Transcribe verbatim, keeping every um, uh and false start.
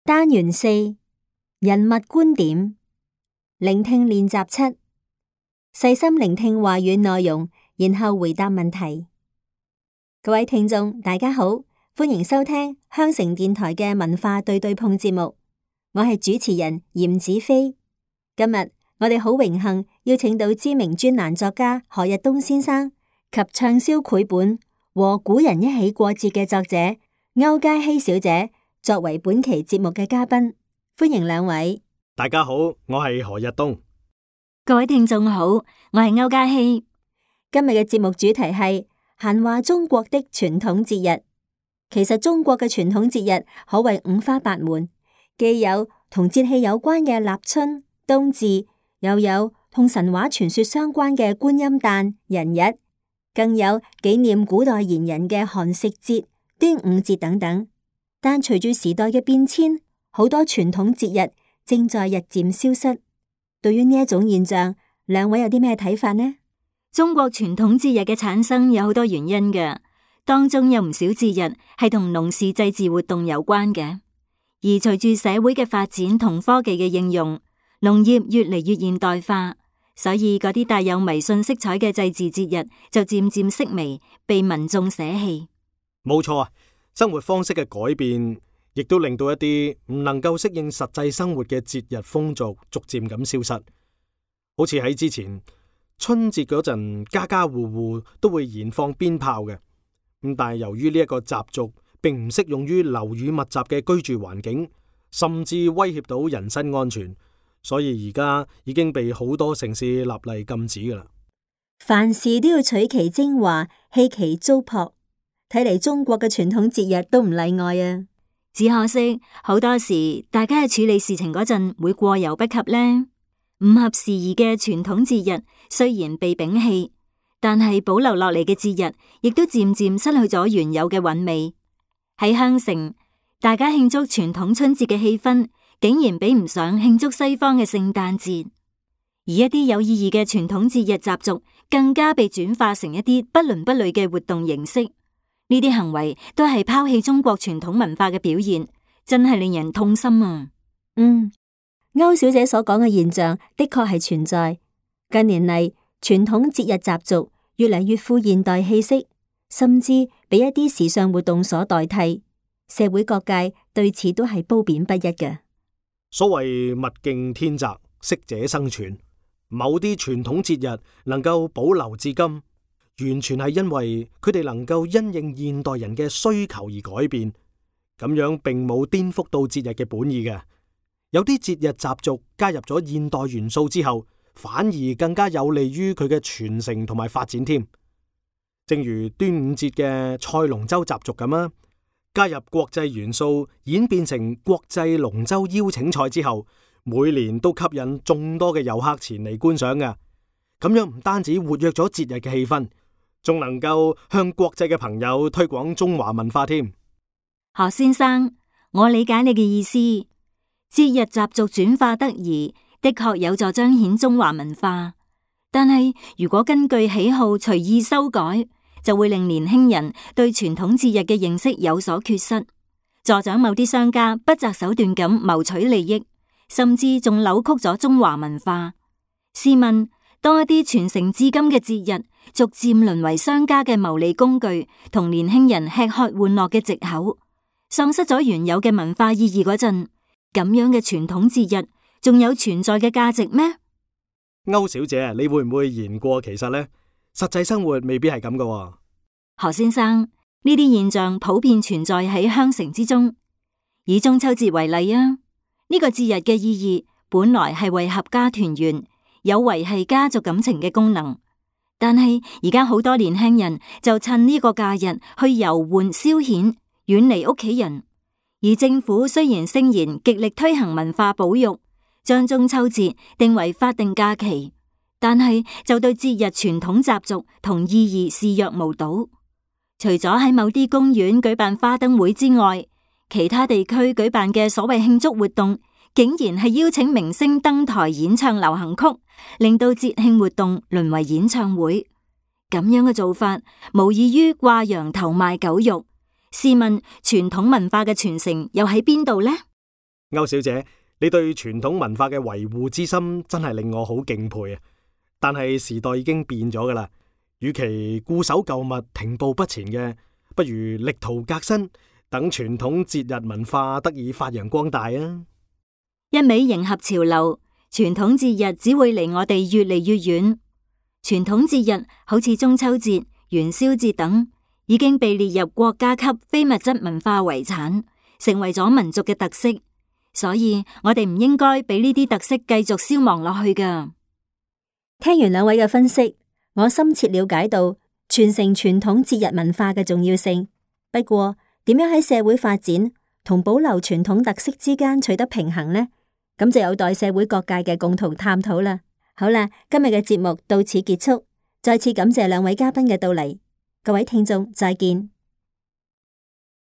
單元四，人物觀點，聆聽練習七，細心聆聽話語內容，然後回答問題。各位聽眾，大家好，歡迎收聽香城電台嘅文化對對碰節目，我係主持人嚴子飛。今日我哋好榮幸邀請到知名專欄作家何日東先生及暢銷繪本《和古人一起過節》嘅作者歐嘉希小姐作為本期節目嘅嘉賓，歡迎兩位。大家好，我係何日東。各位聽眾好，我係歐嘉希。今日嘅節目主題係閒話中國的傳統節日。其實中國嘅傳統節日可謂五花八門，既有同節氣有關嘅立春、冬至，又有同神話傳說相關嘅觀音誕、人日，更有紀念古代賢人嘅寒食節、端午節等等。但隨住時代嘅變遷，好多傳統節日正在日漸消失。對於呢一種現象，兩位有啲咩睇法呢？中國傳統節日嘅產生有好多原因嘅，當中有唔少節日係同農事祭祀活動有關嘅。而隨住社會嘅發展同科技嘅應用，農業越嚟越現代化，所以嗰啲帶有迷信色彩嘅祭祀節日就漸漸式微，被民眾捨棄。冇錯啊，生活方式嘅改變，亦都令到一啲唔能夠適應實際生活嘅節日風俗逐漸咁消失。好似喺之前春節嗰陣，家家戶戶都會燃放鞭炮嘅。咁但係由於呢一個習俗並唔適用於樓宇密集嘅居住環境，甚至威脅到人身安全，所以而家已經被好多城市立例禁止噶啦。凡事都要取其精華，棄其糟粕。睇嚟中國嘅傳統節日都唔例外啊！只可惜好多時大家喺處理事情嗰陣會過猶不及呢。唔合時宜嘅傳統節日雖然被摒棄，但係保留落嚟嘅節日亦都漸漸失去咗原有嘅韻味。喺香城，大家慶祝傳統春節嘅氣氛竟然比唔上慶祝西方嘅聖誕節，而一啲有意義嘅傳統節日習俗更加被轉化成一啲不倫不類嘅活動形式。呢啲行為都係拋棄中國傳統文化嘅表現，真係令人痛心啊！嗯，歐小姐所講嘅現象的確係存在。近年嚟，傳統節日習俗越嚟越富現代氣息，甚至俾一啲時尚活動所代替。社會各界對此都係褒貶不一嘅。所謂物競天擇，適者生存。某啲傳統節日能夠保留至今，完全係因為佢哋能夠因應現代人嘅需求而改變，咁樣並冇顛覆到節日嘅本意嘅。有啲節日習俗加入咗現代元素之後，反而更加有利於佢嘅傳承同埋發展添。正如端午節嘅賽龍舟習俗咁啊，加入國際元素，演變成國際龍舟邀請賽之後，每年都吸引眾多嘅遊客前嚟觀賞嘅。咁樣唔單止活躍咗節日嘅氣氛，仲能夠向國際嘅朋友推廣中華文化添。何先生，我理解你嘅意思。節日習俗轉化得宜，的確有助彰顯中華文化。但係如果根據喜好隨意修改，就會令年輕人對傳統節日嘅認識有所缺失，助長某啲商家不擇手段咁謀取利益，甚至仲扭曲咗中華文化。試問，當一啲傳承至今嘅節日逐漸淪為商家嘅牟利工具，同年輕人吃喝玩樂嘅藉口，喪失咗原有嘅文化意義嗰陣，咁樣嘅傳統節日仲有存在嘅價值咩？歐小姐，你會唔會言過其實呢？實際生活未必係咁㗎。何先生，呢啲現象普遍存在喺香城之中。以中秋節為例啊，呢個節日嘅意義本來係為合家團圓，有維繫家族感情嘅功能。但係而家好多年輕人就趁呢個假日去遊玩消遣，遠離屋企人。而政府雖然聲言極力推行文化保育，將中秋節定為法定假期，但係就對節日傳統習俗同意義視若無睹。除咗喺某啲公園舉辦花燈會之外，其他地區舉辦嘅所謂慶祝活動，竟然係邀請明星登台演唱流行曲，令到節慶活動淪為演唱會。咁樣嘅做法，無異於掛羊頭賣狗肉。試問傳統文化嘅傳承又喺邊度呢？歐小姐，你對傳統文化嘅維護之心真係令我好敬佩啊！但係時代已經變咗噶啦，與其固守舊物停步不前嘅，不如力圖革新，等傳統節日文化得以發揚光大啊！一味迎合潮流，傳統節日只會離我哋越嚟越遠。傳統節日好似中秋節、元宵節等，已經被列入國家級非物質文化遺產，成為咗民族嘅特色。所以我哋唔應該俾呢啲特色繼續消亡落去噶。聽完兩位嘅分析，我深切了解到傳承傳統節日文化嘅重要性。不過，點樣喺社會發展同保留傳統特色之間取得平衡呢？咁就有待社會各界嘅共同探討啦。好啦，今日嘅節目到此結束，再次感謝兩位嘉賓嘅到嚟，各位聽眾再見。